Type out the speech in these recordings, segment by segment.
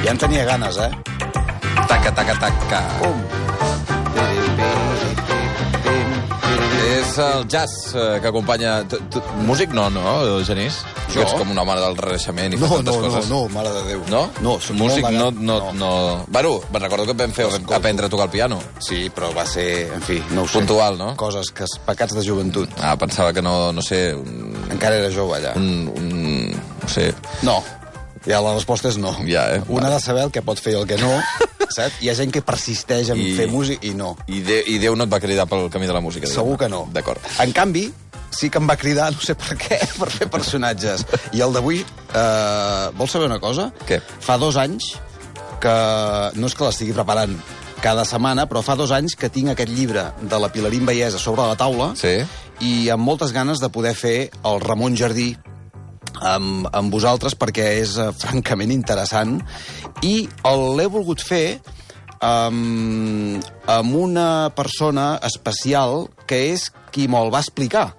Ja en tenia ganes, eh? Taca, taca, taca. És el jazz que acompanya... Músic no, Genís? Jo? Ets com un home del Renaixement i fas tantes coses. No, mare de Déu. No? No, soc músic molt no. Bueno, me'n recordo que vam fer aprendre a tocar el piano. Sí, però va ser, en fi, no ho sé. Puntual, no? Coses, pecats de joventut. Pensava que no sé... Encara era jove, allà. No sé... No. Ja la resposta és no. Ja, Un ha de saber el que pot fer i el que no, saps? Hi ha gent que persisteix en fer música i no. I Déu no et va cridar pel camí de la música. Segur que no. D'acord. En canvi, sí que em va cridar, no sé per què, per fer personatges. I el d'avui, vols saber una cosa? Què? Fa 2 anys que... No és que l'estigui preparant cada setmana, però fa 2 anys que tinc aquest llibre de la Pilarín Vallès a sobre la taula, Sí. I amb moltes ganes de poder fer el Ramon Jardí amb vosaltres, perquè és francament interessant, i l'he volgut fer amb una persona especial que és qui me'l va explicar.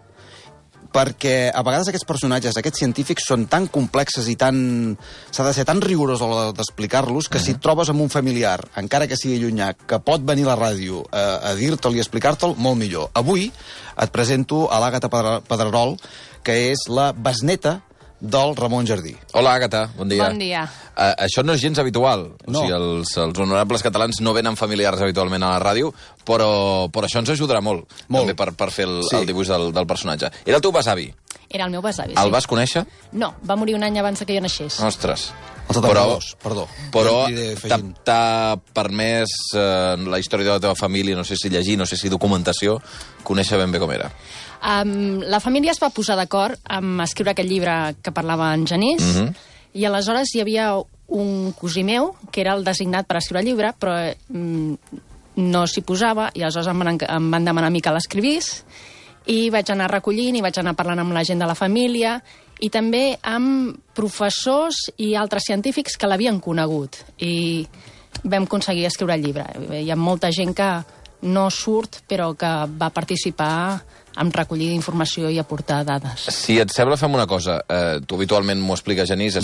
Perquè a vegades aquests personatges, aquests científics, són tan complexes i s'ha de ser tan rigorós a l'hora d'explicar-los que si et trobes amb un familiar, encara que sigui llunyà, que pot venir a la ràdio a dir-te'l i explicar-te'l, molt millor. Avui et presento a l'Àgata Pedrerol, que és la besneta del Ramon Jardí. Hola, Àgata, bon dia. Bon dia. Això no és gens habitual. No. O sigui, els honorables catalans no venen familiars habitualment a la ràdio, però això ens ajudarà molt. També per fer el dibuix del personatge. Era el teu besavi? Era el meu besavi, sí. El vas conèixer? No, va morir un any abans que jo naixés. Ostres. Perdó. Però t'ha permès la història de la teva família, no sé si llegir, no sé si documentació, conèixer ben bé com era. La família es va posar d'acord amb escriure aquest llibre que parlava en Genís, i aleshores hi havia un cosí meu, que era el designat per escriure el llibre, però no s'hi posava, i aleshores em van demanar a mi que l'escrivís, i vaig anar recollint, i vaig anar parlant amb la gent de la família, i també amb professors i altres científics que l'havien conegut, i vam aconseguir escriure el llibre. Hi ha molta gent que no surt, però que va participar en recollir informació i aportar dades. Si et sembla, fem una cosa. Tu habitualment m'ho expliques, Genís,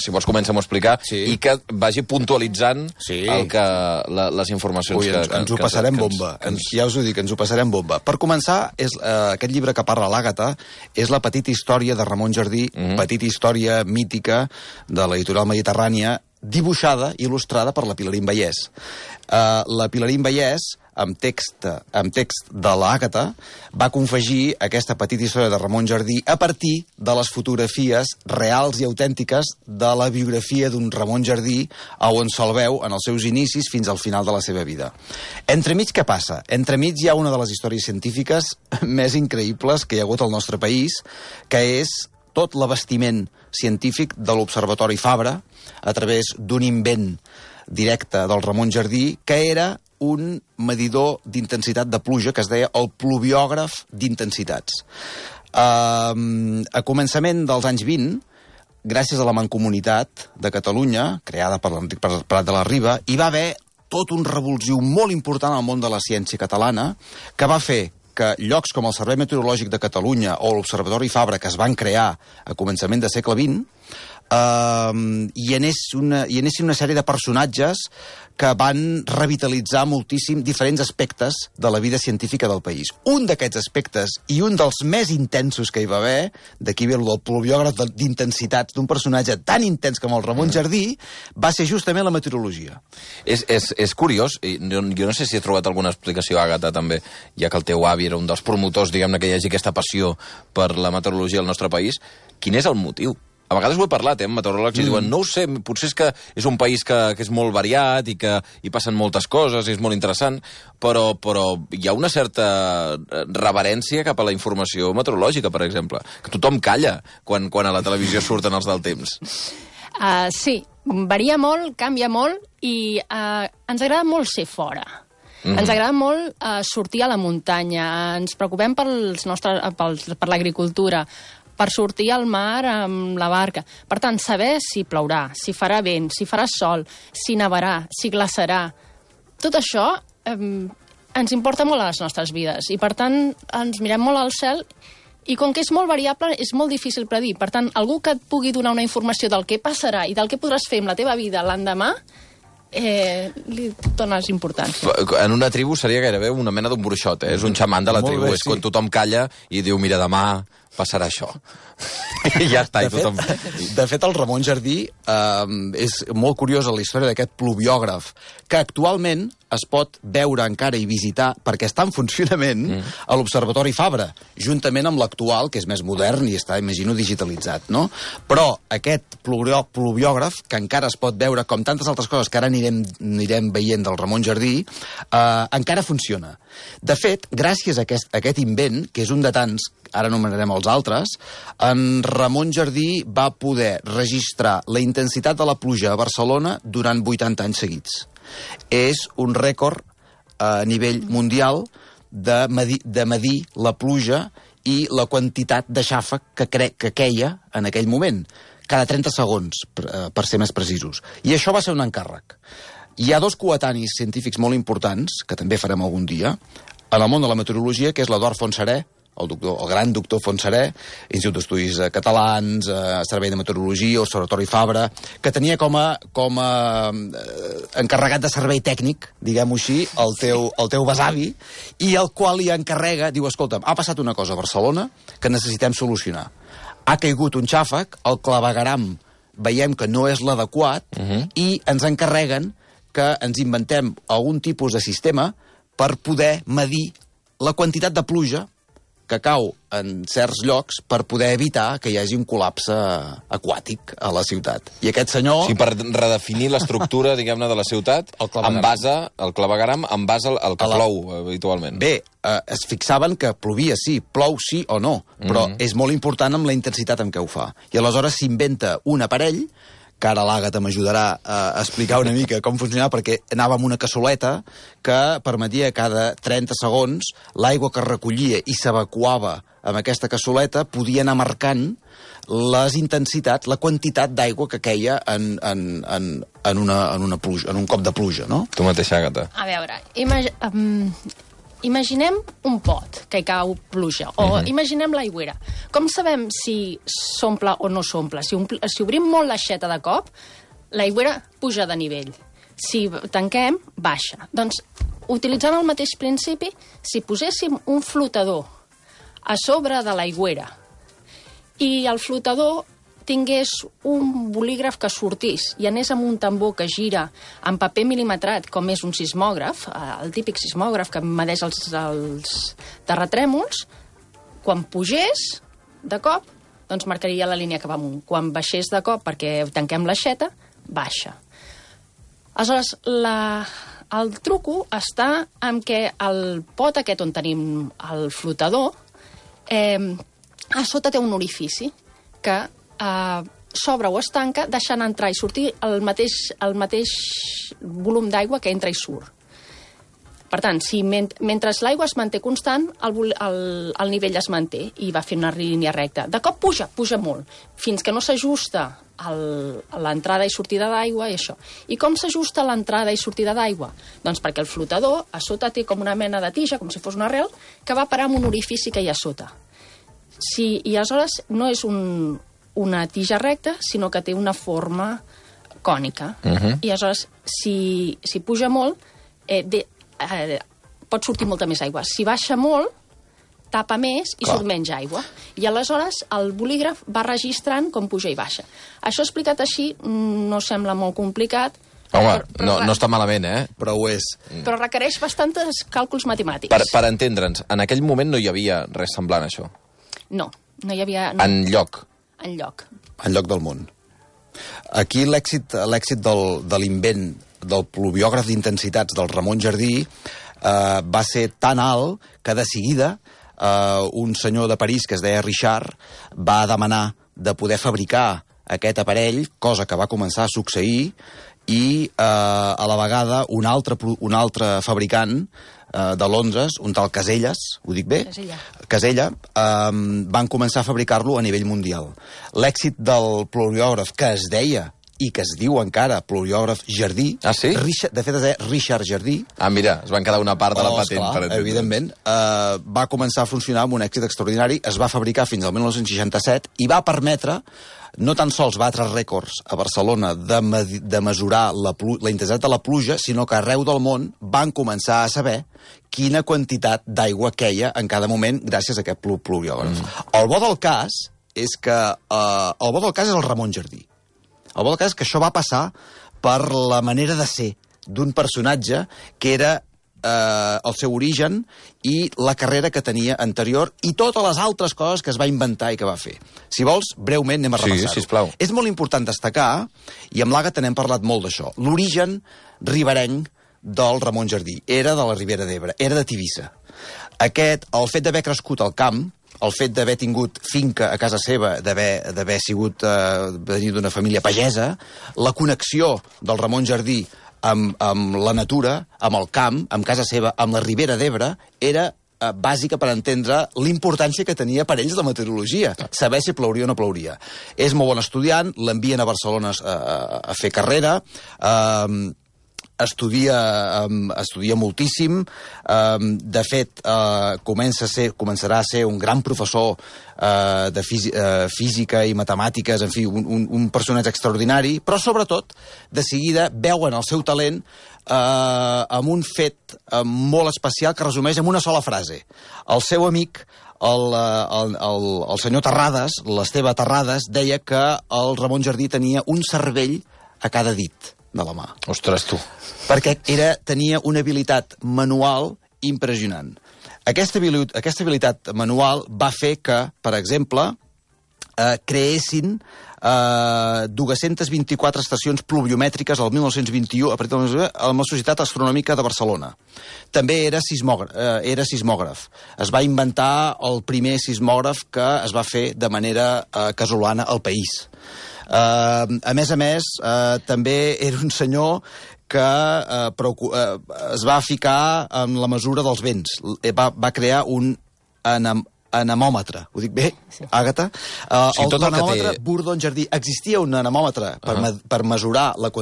si vols comença a m'ho explicar, i que vagi puntualitzant les informacions que ens ho passarem bomba. Ja us ho dic, ens ho passarem bomba. Per començar, aquest llibre que parla l'Àgata és la petita història de Ramon Jardí, petita història mítica de l'editorial mediterrània, dibuixada, il·lustrada per la Pilarín Vallès. La Pilarín Vallès, amb text de l'Àgata, va confegir aquesta petita història de Ramon Jardí a partir de les fotografies reals i autèntiques de la biografia d'un Ramon Jardí on se'l veu en els seus inicis fins al final de la seva vida. Entremig, què passa? Entremig hi ha una de les històries científiques més increïbles que hi ha hagut al nostre país, que és tot l'abastiment científic de l'Observatori Fabra a través d'un invent directe del Ramon Jardí, que era un medidor d'intensitat de pluja que es deia el pluviògraf d'intensitats. A començament dels anys 20, gràcies a la Mancomunitat de Catalunya, creada per l'Enric Prat de la Riba, hi va haver tot un revulsiu molt important al món de la ciència catalana, que va fer que llocs com el Servei Meteorològic de Catalunya o l'Observatori Fabra, que es van crear a començament del segle XX, hi anessin una sèrie de personatges que van revitalitzar moltíssim diferents aspectes de la vida científica del país. Un d'aquests aspectes, i un dels més intensos que hi va haver, d'aquí ve el del pluviògraf d'intensitats d'un personatge tan intens com el Ramon Jardí, va ser justament la meteorologia. És curiós, jo no sé si he trobat alguna explicació, Àgata, també, ja que el teu avi era un dels promotors, diguem-ne, que hi hagi aquesta passió per la meteorologia al nostre país. Quin és el motiu? A vegades ho he parlat, amb meteoròlegs, i diuen, no ho sé, potser és que és un país que és molt variat i que hi passen moltes coses, i és molt interessant, però hi ha una certa reverència cap a la informació meteorològica, per exemple, que tothom calla quan a la televisió surten els del temps. Sí, varia molt, canvia molt, i ens agrada molt ser fora. Ens agrada molt sortir a la muntanya, ens preocupem per l'agricultura, per sortir al mar amb la barca. Per tant, saber si plourà, si farà vent, si farà sol, si nevarà, si glaçarà. Tot això ens importa molt a les nostres vides i, per tant, ens mirem molt al cel I com que és molt variable, és molt difícil predir. Per tant, algú que et pugui donar una informació del que passarà i del que podràs fer amb la teva vida l'endemà, li dones importància. En una tribu seria gairebé una mena d'un bruixot, És un xaman de la tribu. És quan tothom calla i diu, mira, demà passarà això. I ja està, De fet, el Ramon Jardí és molt curiosa la història d'aquest pluviògraf, que actualment es pot veure encara i visitar, perquè està en funcionament a l'Observatori Fabra, juntament amb l'actual, que és més modern i està, imagino, digitalitzat, no? Però aquest pluviògraf, que encara es pot veure, com tantes altres coses que ara anirem veient del Ramon Jardí, encara funciona. De fet, gràcies a aquest invent, que és un de tants, ara anomenarem els altres, en Ramon Jardí va poder registrar la intensitat de la pluja a Barcelona durant 80 anys seguits. És un rècord a nivell mundial de medir la pluja i la quantitat de xàfec que queia en aquell moment, cada 30 segons, per ser més precisos. I això va ser un encàrrec. Hi ha dos coetanis científics molt importants, que també farem algun dia, en el món de la meteorologia, que és l'Eduard Fontserè, el gran doctor Fontserè, Institut d'Estudis Catalans, Servei de Meteorologia, Observatori Fabra, que tenia com a encarregat de servei tècnic, diguem-ho així, el teu besavi, i el qual li encarrega, diu, escolta'm, ha passat una cosa a Barcelona que necessitem solucionar. Ha caigut un xàfec, el clavegueram veiem que no és l'adequat, i ens encarreguen que ens inventem algun tipus de sistema per poder medir la quantitat de pluja que cau en certs llocs per poder evitar que hi hagi un col·lapse aquàtic a la ciutat. I aquest senyor... Sí, per redefinir l'estructura, diguem-ne, de la ciutat, en base al clavegueram, en base al que plou habitualment. Bé, es fixaven que plovia, sí, plou sí o no, però és molt important amb la intensitat amb què ho fa. I aleshores s'inventa un aparell, que ara l'Àgata m'ajudarà a explicar una mica com funcionava, perquè anava amb una cassoleta que permetia cada 30 segons l'aigua que recollia i s'evacuava amb aquesta cassoleta podia anar marcant les intensitats, la quantitat d'aigua que queia en una pluja, en un cop de pluja, no? Tu mateixa, Àgata. A veure, imaginem un pot que hi cau pluja, o imaginem l'aigüera. Com sabem si s'omple o no s'omple? Si obrim molt l'aixeta de cop, l'aigüera puja de nivell. Si tanquem, baixa. Doncs, utilitzant el mateix principi, si poséssim un flotador a sobre de l'aigüera i el flotador tingués un bolígraf que sortís i anés amb un tambor que gira amb paper mil·limetrat, com és un sismògraf, el típic sismògraf que medeix els terratrèmols, quan pugés de cop, doncs marcaria la línia cap amunt. Quan baixés de cop, perquè tanquem l'aixeta, baixa. Aleshores, el truco està en què el pot aquest on tenim el flotador, a sota té un orifici que s'obre o es tanca deixant entrar i sortir el mateix volum d'aigua que entra i surt. Per tant, si mentre l'aigua es manté constant, el nivell es manté i va fent una línia recta. De cop puja molt, fins que no s'ajusta l'entrada i sortida d'aigua i això. I com s'ajusta l'entrada i sortida d'aigua? Doncs perquè el flotador a sota té com una mena de tija, com si fos una arrel, que va parar en un orifici que hi ha a sota. I aleshores no és una tija recta, sinó que té una forma cònica. I aleshores, si puja molt, pot sortir molta més aigua. Si baixa molt, tapa més i surt menys aigua. I aleshores el bolígraf va registrant com puja i baixa. Això explicat així no sembla molt complicat. Home, no està malament, Però ho és. Però requereix bastants càlculs matemàtics. Per entendre'ns, en aquell moment no hi havia res semblant a això? No hi havia... Enlloc del món. Aquí l'èxit de l'invent del pluviògraf d'intensitats del Ramon Jardí va ser tan alt que de seguida un senyor de París que es deia Richard va demanar de poder fabricar aquest aparell, cosa que va començar a succeir, i a la vegada un altre fabricant de Londres, un tal Caselles, ho dic bé? Casella, van començar a fabricar-lo a nivell mundial. L'èxit del pluviògraf, que es deia i que es diu encara pluriògraf Jardí. Ah, sí? De fet, és Richard Jardí. Ah, mira, es van quedar una part de la patent. Esclar, per entendre. evidentment. Va començar a funcionar amb un èxit extraordinari, es va fabricar fins al 1967 i va permetre, no tan sols batre rècords a Barcelona de mesurar la intensitat de la pluja, sinó que arreu del món van començar a saber quina quantitat d'aigua queia en cada moment gràcies a aquest pluviògraf. El bo del cas és que el Ramon Jardí. El bo del cas és que això va passar per la manera de ser d'un personatge que era el seu origen i la carrera que tenia anterior i totes les altres coses que es va inventar i que va fer. Si vols, breument anem a repassar-ho. Sí, sisplau. És molt important destacar, i amb l'Àgata n'hem parlat molt d'això, l'origen riberenc del Ramon Jardí. Era de la Ribera d'Ebre, era de Tivissa. El fet d'haver crescut al camp, el fet d'haver tingut finca a casa seva, d'haver sigut venir d'una família pagesa, la connexió del Ramon Jardí amb la natura, amb el camp, amb casa seva, amb la Ribera d'Ebre, era bàsica per entendre l'importància que tenia per ells la meteorologia, saber si plouria o no plouria. És molt bon estudiant, l'envien a Barcelona a fer carrera, estudia moltíssim, de fet començarà a ser un gran professor de física i matemàtiques, en fi, un personatge extraordinari, però sobretot de seguida veuen el seu talent amb un fet molt especial que resumeix en una sola frase. El seu amic, el senyor Terrades, l'Esteve Terrades, deia que el Ramon Jardí tenia un cervell a cada dit de la mà. Ostres, tu. Perquè tenia una habilitat manual impressionant. Aquesta habilitat manual va fer que, per exemple, creessin 224 estacions pluviomètriques el 1921 a partir de la Societat Astronòmica de Barcelona. També era sismògraf. Es va inventar el primer sismògraf que es va fer de manera casolana al país. A més, també era un senyor que es va ficar en la mesura dels vents. Va crear un anemòmetre. Ho dic bé, Àgata? El anemòmetre Bourdon Jardí. Existia un anemòmetre per mesurar la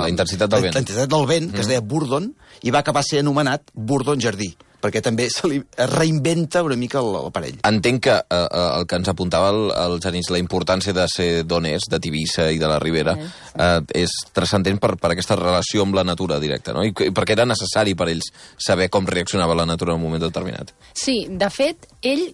intensitat del vent, que es deia Bourdon, i va acabar sent anomenat Bourdon Jardí, perquè també se li reinventa una mica l'aparell. Entenc que el que ens apuntava el Genís, la importància de ser d'on és, de Tivissa i de la Ribera, és transcendent per aquesta relació amb la natura directa, no? I perquè era necessari per ells saber com reaccionava la natura en un moment determinat. Sí, de fet, ell,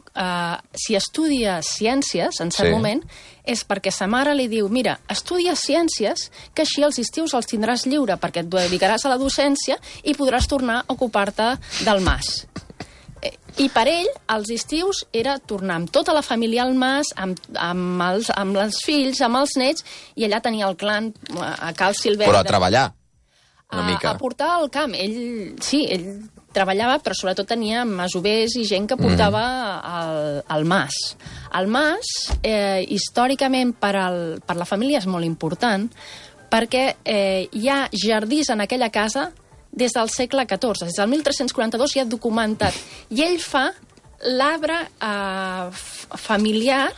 si estudia ciències, en cert moment, és perquè sa mare li diu, mira, estudia ciències, que així els estius els tindràs lliure, perquè et dedicaràs a la docència i podràs tornar a ocupar-te del mas. I per ell, els estius era tornar amb tota la família al mas, amb els fills, amb els nets, i allà tenia el clan a Cal Silvestre. Però a treballar, una mica. A portar al camp. Ell treballava, però sobretot tenia masovers i gent que portava al mas. El mas, històricament, per la família és molt important, perquè hi ha jardins en aquella casa des del segle XIV, des del 1342 ja documentat. I ell fa l'arbre familiar,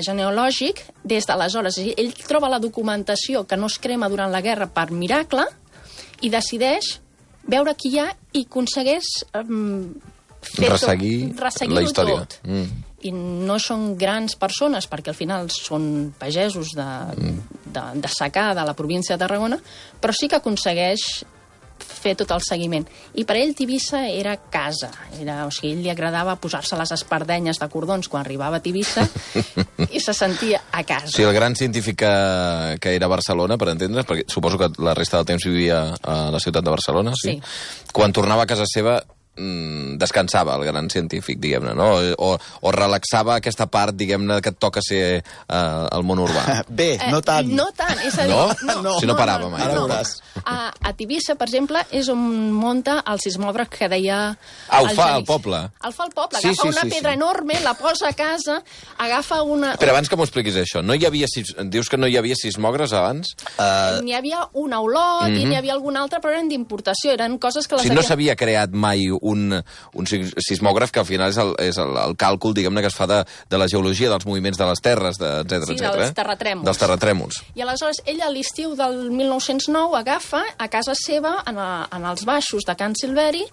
genealògic, des d'aleshores. Ell troba la documentació que no es crema durant la guerra per miracle i decideix veure qui hi ha i aconsegueix resseguir la història. Tot. I no són grans persones, perquè al final són pagesos de secà de la província de Tarragona, però sí que aconsegueix fer tot el seguiment. I per ell Tivissa era casa. O sigui, ell li agradava posar-se les espardenyes de cordons quan arribava a Tivissa i se sentia a casa. Sí, el gran científic que era a Barcelona, per entendre's, perquè suposo que la resta del temps vivia a la ciutat de Barcelona, sí? Quan tornava a casa seva descansava el gran científic, diguem-ne, no? O relaxava aquesta part, diguem-ne, que et toca ser al món urbà. Bé, no tant. No tant, és a dir... No? Si no parava mai. Ara veuràs. A Tivissa, per exemple, és on munta el sismògraf que deia... Ho fa al poble? El fa al poble, agafa una pedra enorme, la posa a casa, agafa una... Però abans que m'ho expliquis això, dius que no hi havia sismògrafs abans? N'hi havia un a Olot i n'hi havia algun altre, però eren d'importació, eren coses que les no s'havia creat mai un sismògraf que al final és el càlcul, diguem-ne, que es fa de la geologia, dels moviments de les terres, etc. Sí, dels terratrèmols. Dels terratrèmols. I aleshores ell a l'estiu del 1909 agafa a casa seva, en els baixos de Can Silveri,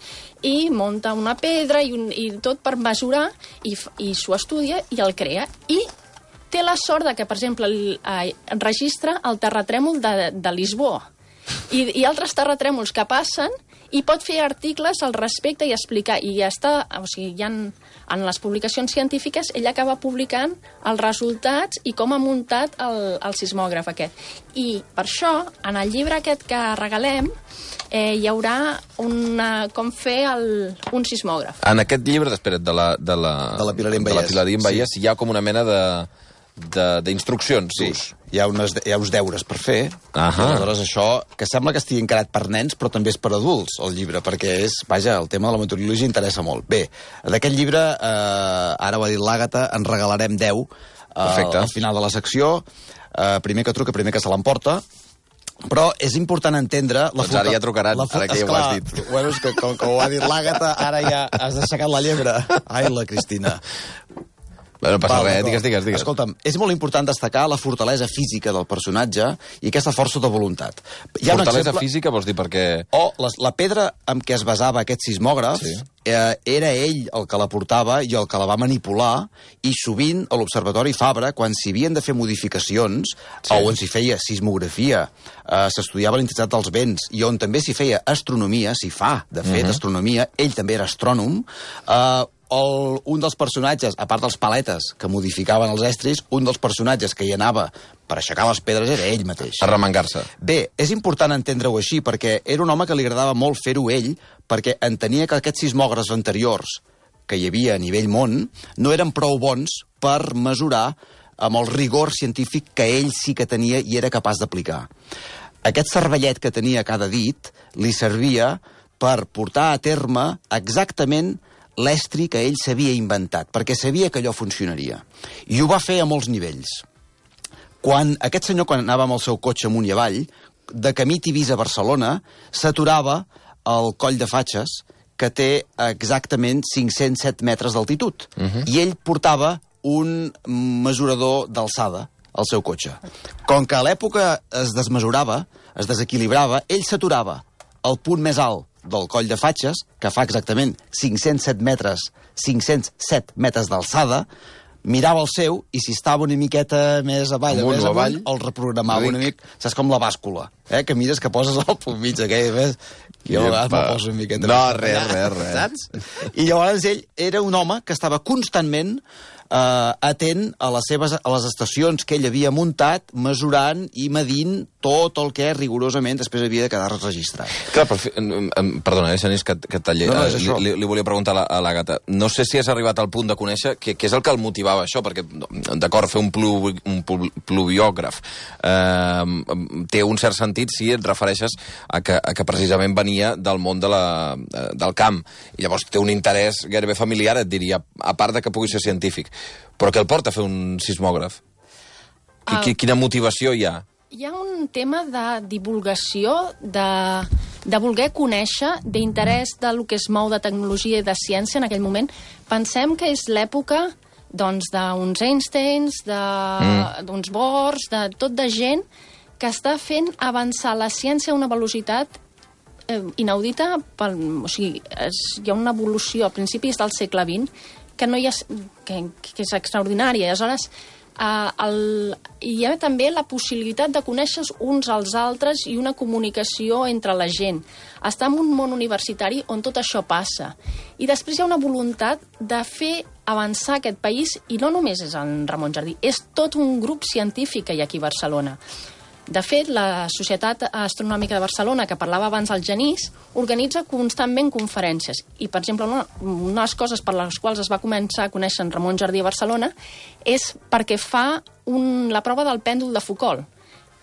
i munta una pedra i tot per mesurar, i s'ho estudia i el crea. I té la sort de que, per exemple, registra el terratrèmol de Lisboa i altres terratrèmols que passen, i pot fer articles al respecte i explicar. I ja està, o sigui, ja en les publicacions científiques ell acaba publicant els resultats i com ha muntat el sismògraf aquest. I per això, en el llibre aquest que regalem, hi haurà com fer un sismògraf. En aquest llibre, espera't, de la Pilarín Vallès, sí. Hi ha com una mena d'instruccions. Sí, hi ha uns deures per fer. Aleshores, això, que sembla que estigui encarat per nens, però també és per adults, el llibre, perquè el tema de la meteorologia interessa molt. Bé, d'aquest llibre, ara ho ha dit l'Àgata, en regalarem 10 al final de la secció. Primer que truca, primer que se l'emporta. Però és important entendre... Doncs ara ja trucaran, ara que ja ho has dit. Bueno, és que com que ho ha dit l'Àgata, ara ja has aixecat la llebre. Ai, la Cristina. No passa res, digues. Escolta'm, és molt important destacar la fortalesa física del personatge i aquesta força de voluntat. Fortalesa física vols dir perquè... La pedra amb què es basava aquest sismògraf era ell el que la portava i el que la va manipular, i sovint a l'Observatori Fabra, quan s'hi havien de fer modificacions, o on s'hi feia sismografia, s'estudiava l'intensitat dels vents, i on també s'hi feia astronomia, s'hi fa, de fet, astronomia, ell també era astrònom, un dels personatges, a part dels paletes que modificaven els estris, un dels personatges que hi anava per aixecar les pedres era ell mateix. Per remengar-se. Bé, és important entendre-ho així, perquè era un home que li agradava molt fer-ho ell, perquè entenia que aquests sismògrafs anteriors que hi havia a nivell món no eren prou bons per mesurar amb el rigor científic que ell sí que tenia i era capaç d'aplicar. Aquest cervellet que tenia a cada dit li servia per portar a terme exactament l'estri que ell s'havia inventat, perquè sabia que allò funcionaria. I ho va fer a molts nivells. Aquest senyor, quan anava amb el seu cotxe amunt i avall, de camí Tivís a Barcelona, s'aturava al Coll de Fatxes, que té exactament 507 metres d'altitud. I ell portava un mesurador d'alçada al seu cotxe. Com que a l'època es desmesurava, es desequilibrava, ell s'aturava al punt més alt del Coll de Fatxes, que fa exactament 507 metres d'alçada, mirava el seu, i si estava una miqueta més avall, el reprogramava una mica. Saps com la bàscula, que mires que poses el punt mig aquell, jo a vegades me'l poso una miqueta. No, res. Saps? I llavors ell era un home que estava constantment atent a les estacions que ell havia muntat, mesurant i medint tot el que rigorosament després havia de quedar registrat. Clar, perdona, Genís, que et talli. Li volia preguntar a l'Àgata. No sé si has arribat al punt de conèixer què és el que el motivava això, perquè, d'acord, fer un pluviògraf té un cert sentit si et refereixes a que precisament venia del món del camp, i llavors té un interès gairebé familiar, et diria, a part de que pugui ser científic. Però què el porta a fer un sismògraf? Quina motivació hi ha? Hi ha un tema de divulgació, de voler conèixer, d'interès del que es mou de tecnologia i de ciència en aquell moment. Pensem que és l'època d'uns Einsteins, d'uns Bohrs, de tot de gent que està fent avançar la ciència a una velocitat inaudita. O sigui, hi ha una evolució a principis del segle XX que és extraordinària. Aleshores, hi ha també la possibilitat de conèixer uns als altres i una comunicació entre la gent. Està en un món universitari on tot això passa. I després hi ha una voluntat de fer avançar aquest país, i no només és en Ramon Jardí, és tot un grup científic que hi ha aquí a Barcelona. De fet, la Societat Astronòmica de Barcelona, que parlava abans el Genís, organitza constantment conferències. I, per exemple, una de les coses per les quals es va començar a conèixer en Ramon Jardí a Barcelona és perquè fa la prova del pèndol de Foucault.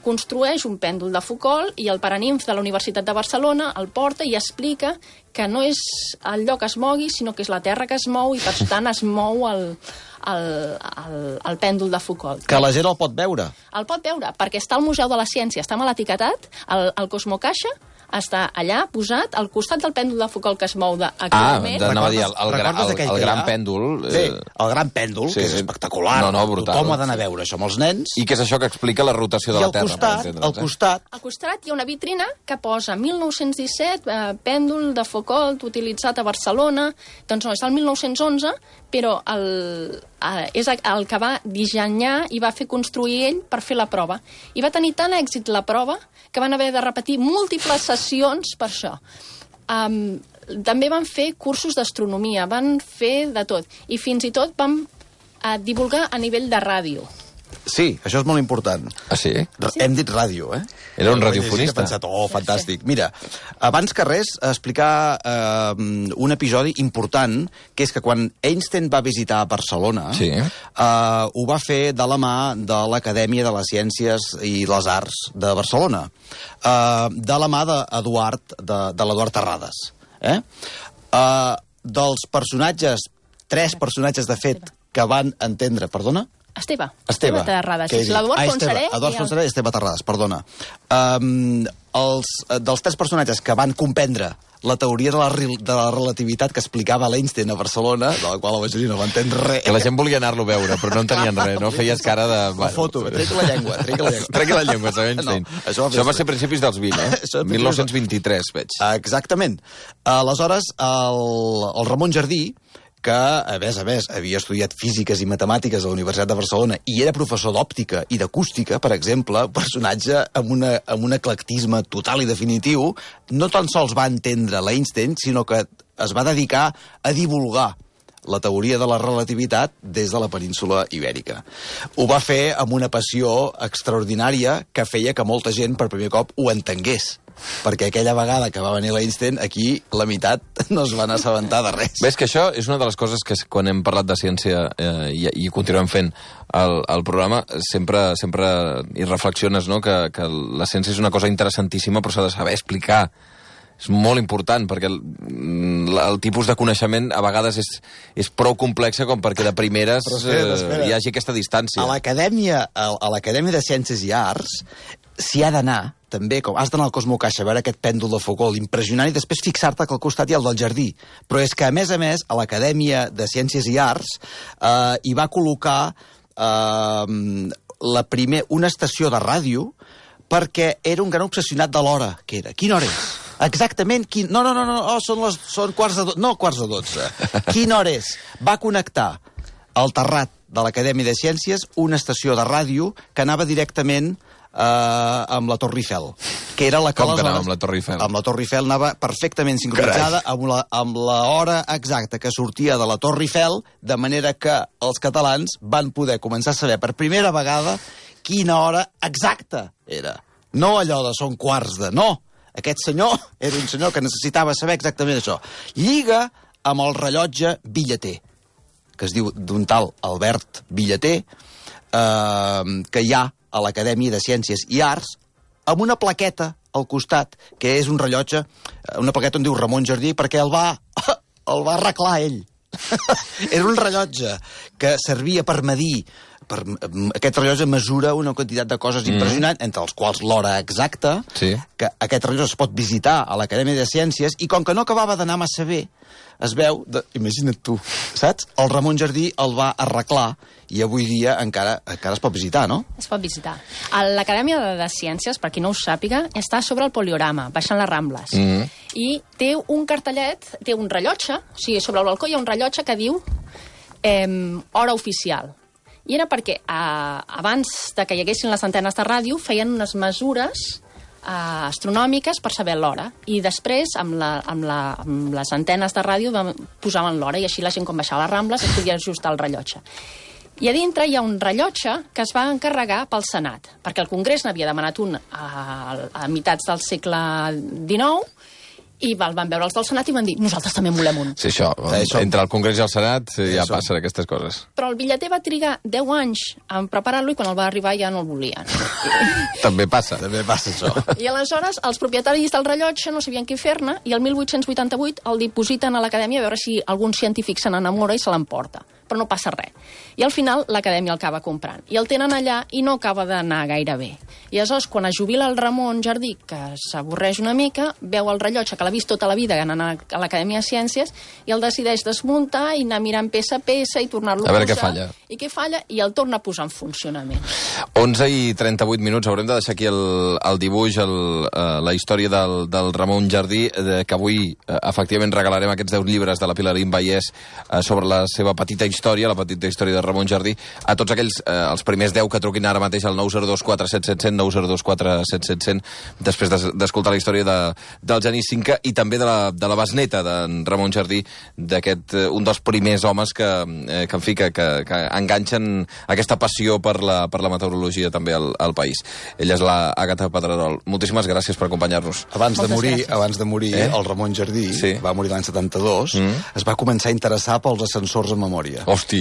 Construeix un pèndol de Foucault i el Paraninf de la Universitat de Barcelona el porta i explica que no és el lloc que es mogui, sinó que és la Terra que es mou, i per tant es mou el pèndol de Foucault. Que la gent el pot veure. El pot veure, perquè està al Museu de la Ciència, està mal etiquetat, el Cosmocaixa, està allà, posat, al costat del pèndol de Foucault que es mou actualment. Anava a dir, Recordes aquell el que hi gran ha? pèndol... Sí, el gran pèndol, que és espectacular. No, brutal. Tothom ha d'anar a veure això amb els nens. I què és això que explica la rotació de la Terra? Al costat... Al costat hi ha una vitrina que posa 1917, pèndol de Foucault utilitzat a Barcelona. Doncs no, és el 1911, però és el que va dissenyar i va fer construir ell per fer la prova. I va tenir tant èxit la prova que van haver de repetir múltiples sessions per això. També van fer cursos d'astronomia, van fer de tot. I fins i tot van divulgar a nivell de ràdio. Sí, això és molt important. Ah, sí? Hem dit ràdio, eh? Era un radiofonista. He pensat, fantàstic. Mira, abans que res, explicar un episodi important, que és que quan Einstein va visitar Barcelona, ho va fer de la mà de l'Acadèmia de les Ciències i les Arts de Barcelona, de la mà de l'Eduard Terrades. Dels personatges, 3 personatges, de fet, que van entendre... Perdona? Esteve Terrades. L'Eduard Fontserè. Eduard Fontserè i Esteve Terrades, perdona. Dels 3 personatges que van comprendre la teoria de la relativitat que explicava l'Einstein a Barcelona, de la qual la majoria no va entendre res. Que la gent volia anar-lo a veure, però no entenien res, no? Feies cara de... La foto, tregui la llengua. Tregui la llengua, Einstein. No, això va ser a principis dels 20, eh? 1923, veig. Exactament. Aleshores, el Ramon Jardí, que, a més, havia estudiat físiques i matemàtiques a la Universitat de Barcelona i era professor d'òptica i d'acústica, per exemple, un personatge amb un eclectisme total i definitiu, no tan sols va entendre l'Einstein, sinó que es va dedicar a divulgar la teoria de la relativitat des de la península Ibèrica. Ho va fer amb una passió extraordinària que feia que molta gent per primer cop ho entengués. Perquè aquella vegada que va venir l'Einstein, aquí la meitat no es van assabentar de res. Ves que això és una de les coses que quan hem parlat de ciència i continuem fent el programa, sempre hi reflexiones, no? Que la ciència és una cosa interessantíssima, però s'ha de saber explicar. És molt important, perquè el tipus de coneixement a vegades és prou complexa com perquè de primeres hi hagi aquesta distància. A l'Acadèmia de Ciències i Arts s'hi ha d'anar, també, com has d'anar al Cosmo Caixa a veure aquest pèndol de Foucault impressionant i després fixar-te que al costat hi ha el del jardí. Però és que, a més, a l'Acadèmia de Ciències i Arts hi va col·locar una estació de ràdio perquè era un gran obsessionat de l'hora, que era. Quina hora és? Exactament, són quarts de 12. No, quarts de 12. Quina hora és? Va connectar al terrat de l'Acadèmia de Ciències una estació de ràdio que anava directament amb la Torre Eiffel, que era la que... Com que anava amb la Torre Eiffel? Amb la Torre Eiffel anava perfectament sincronitzada amb l'hora exacta que sortia de la Torre Eiffel, de manera que els catalans van poder començar a saber per primera vegada quina hora exacta era. No allò de són quarts de... No! Aquest senyor era un senyor que necessitava saber exactament això. Lliga amb el rellotge Villeter, que es diu d'un tal Albert Villeter, que hi ha a l'Acadèmia de Ciències i Arts, amb una plaqueta al costat, que és un rellotge, una plaqueta on diu Ramon Jardí, perquè el va arreglar ell. Era un rellotge que servia per medir. Aquest rellotge mesura una quantitat de coses impressionant, entre els quals l'hora exacta, que aquest rellotge es pot visitar a l'Acadèmia de Ciències, i com que no acabava d'anar massa bé, es veu, imagina't tu, saps? El Ramon Jardí el va arreglar i avui dia encara es pot visitar, no? Es pot visitar. L'Acadèmia de Ciències, per qui no ho sàpiga, està sobre el Poliorama, baixant les Rambles. I té un cartellet, té un rellotge, o sigui, sobre el balcó hi ha un rellotge que diu hora oficial. I era perquè abans de que hi haguessin les antenes de ràdio feien unes mesures astronòmiques per saber l'hora, i després amb les antenes de ràdio posaven l'hora, i així la gent quan baixava les Rambles es podia ajustar el rellotge. I a dintre hi ha un rellotge que es va encarregar pel Senat, perquè el Congrés n'havia demanat un a mitats del segle XIX, i van veure els del Senat i van dir, nosaltres també en volem un. Sí, això. Entre el Congrés i el Senat ja passen aquestes coses. Però el Villeter va trigar 10 anys en preparar-lo i quan el va arribar ja no el volien. També passa. També passa això. I aleshores els propietaris del rellotge no sabien què fer-ne i el 1888 el dipositen a l'Acadèmia a veure si algun científic se n'enamora i se l'emporta. però no passa res. I al final l'acadèmia el acaba comprant. I el tenen allà i no acaba d'anar gaire bé. I aleshores, quan es jubila el Ramon Jardí, que s'avorreix una mica, veu el rellotge que l'ha vist tota la vida anant a l'Acadèmia de Ciències i el decideix desmuntar i anar mirant peça a peça i tornar-lo a veure posar. què falla. I què falla, i el torna a posar en funcionament. 11:38. Haurem de deixar aquí el dibuix, la història del Ramon Jardí, que avui efectivament regalarem aquests 10 llibres de la Pilarín Vallès sobre la seva petita història, la petita història de Ramon Jardí, a tots aquells, els primers 10 que truquin ara mateix al 902 477 902 477, després d'escoltar la història del Genís Cinca i també de la besneta d'en Ramon Jardí, d'aquest un dels primers homes que en fi, que enganxen aquesta passió per la meteorologia també al país. Ella és la Àgata Pedrerol. Moltíssimes gràcies per acompanyar-nos. Abans de morir, el Ramon Jardí, va morir l'any 72, es va començar a interessar pels ascensors en memòria. Hosti!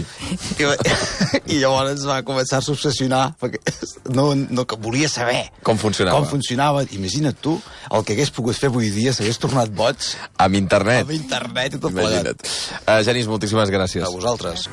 I llavors va començar a s'obsessionar, perquè no volia saber com funcionava. Imagina't tu, el que hagués pogut fer avui dia s'hagués tornat boig amb internet. Amb internet i tot plegat. Genís, moltíssimes gràcies. A vosaltres.